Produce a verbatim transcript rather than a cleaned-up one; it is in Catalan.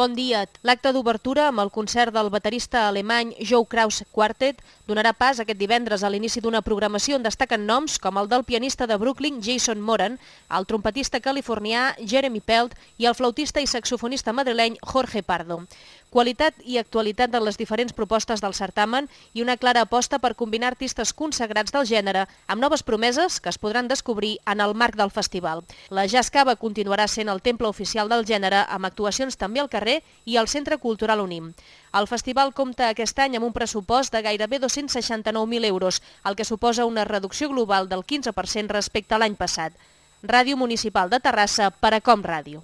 Bon dia. L'acte d'obertura amb el concert del baterista alemany Joe Kraus Quartet donarà pas aquest divendres a l'inici d'una programació on destaquen noms com el del pianista de Brooklyn Jason Moran, el trompetista californià Jeremy Pelt i el flautista i saxofonista madrileny Jorge Pardo. Qualitat i actualitat de les diferents propostes del certamen i una clara aposta per combinar artistes consagrats del gènere amb noves promeses que es podran descobrir en el marc del festival. La Jazz Cava continuarà sent el temple oficial del gènere amb actuacions també al carrer i al Centre Cultural Unim. El festival compta aquest any amb un pressupost de gairebé dos-cents seixanta-nou mil euros, el que suposa una reducció global del quinze per cent respecte a l'any passat. Ràdio Municipal de Terrassa per a Com Ràdio.